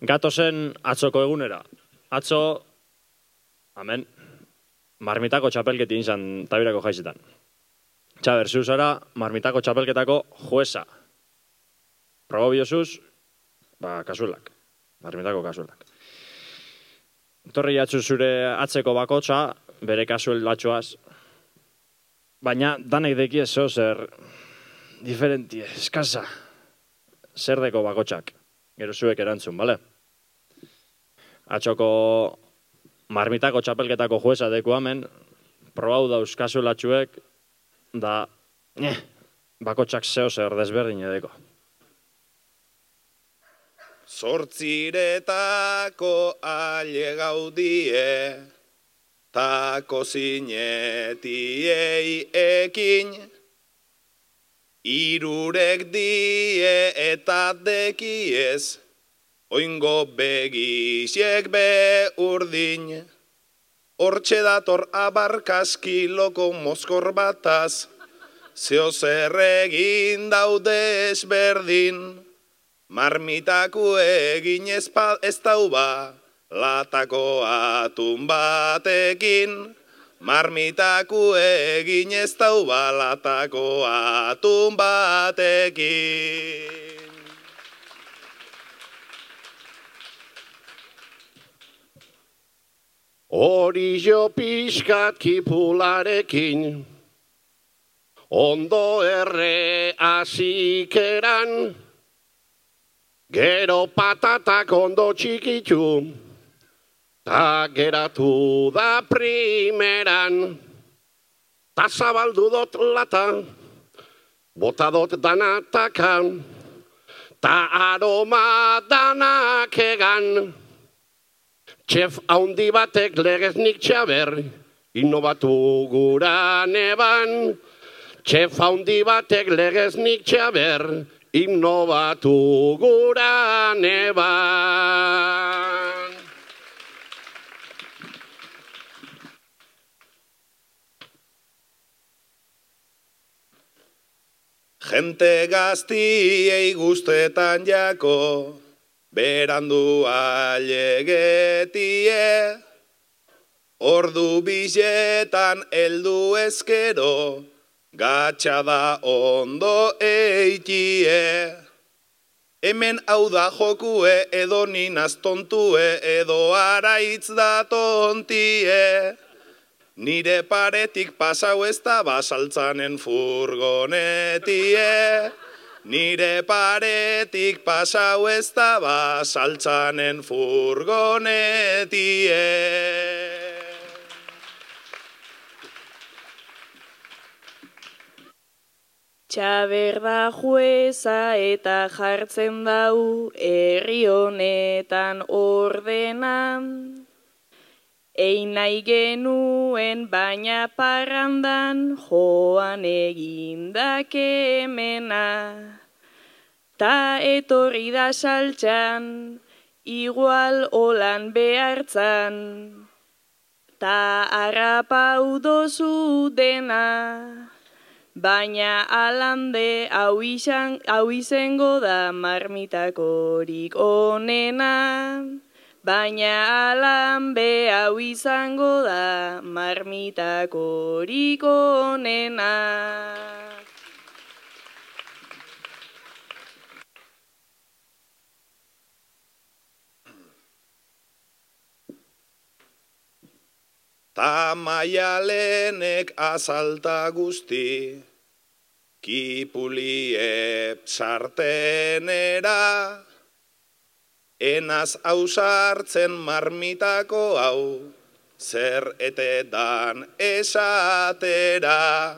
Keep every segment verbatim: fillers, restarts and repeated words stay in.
Gatozen atzoko egunera. Atzo, amen, marmitako txapelketin izan tabirako jaizetan. Txaber, zuzara, marmitako txapelketako jueza. Probo biosuz, ba, kasuelak. Marmitako kasuelak. Torri jatzu zure atzeko bakotxa, bere kasuel latxoaz. Baina, danek deki eso zer diferentie, eskasa. Zer deko bakotxak. Gero zuek erantzun, bale? Atxoko marmitako txapelketako jueza deku hemen, probau dauz kasuelatxuek, da, eh, bakotxak zeo zer desberdin edeko. Zortziretako ale gaudie, tako zinetiei ekin, irurek die eta dekiez, oingo begisiek be urdin, hortxe dator abarkaskiloko mozkor bataz, zeo zer egin daude ezberdin, marmitako egin ez dau ba, latako atun batekin, marmitako egin ez dau ba, latako atun batekin. Hori jo pixkat kipularekin, ondo erre azikeran, gero patatak ondo txikitu, ta geratu da primeran, ta zabaldu dot lata, bota dot danatakan, ta aroma danak egan, txef haundi batek legeznik txaber, inobatu gura neban, txef haundi batek legeznik txaber, inobatu gura neban. Jente gaztiei guztetan jako, berandu alegetie, ordu biletan eldu ezkero, gatsa da ondo eitie. Hemen hau da jokue edo ninaz tontue edo araitz da tontie. Nire paretik pasau ez da basaltzanen furgonetie. Nire paretik pasau ez da basaltzanen furgonetie. Txaber da jueza eta jartzen dau herri honetan ordenan. Ein nahi genuen baina parrandan joan egindak hemena. Ta etorri da saltxan, igual holan behartzan. Ta harrapau dozu dena. Baina alande hau izengo da marmitakorik onena. Baina alambe hau izango da marmitakorik onena. Ta maialenek azalta guzti, kipulie sartenera, enaz ausartzen marmitako hau, zer etetan esatera.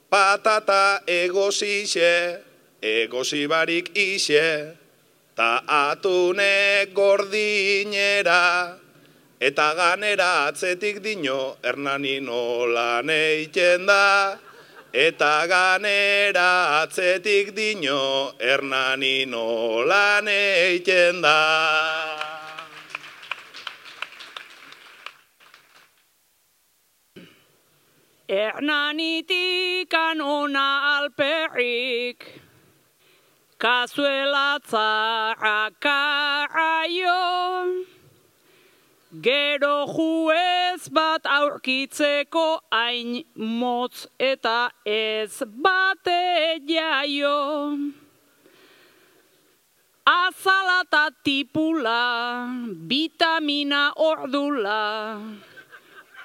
Patata egozixe, egozibarik ixe, ta atunek gordinera, eta ganera atzetik dino Hernani nola neiten da. Eta ganera atzetik dino Hernani nola neiten da. Hernanitik anona alperrik, kazuela zarrakaio, gero juez bat aurkitzeko hain motz eta ez bate jaio. Azala eta tipula, vitamina ordula,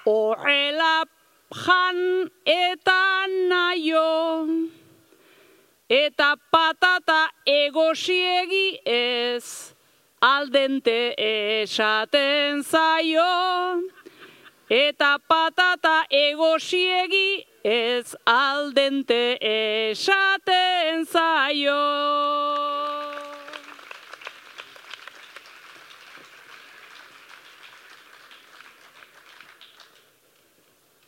horrela jan eta naio, eta patata egosiegi ez, aldente esaten zaio, eta patata egosiegi ez, aldente esaten zaio.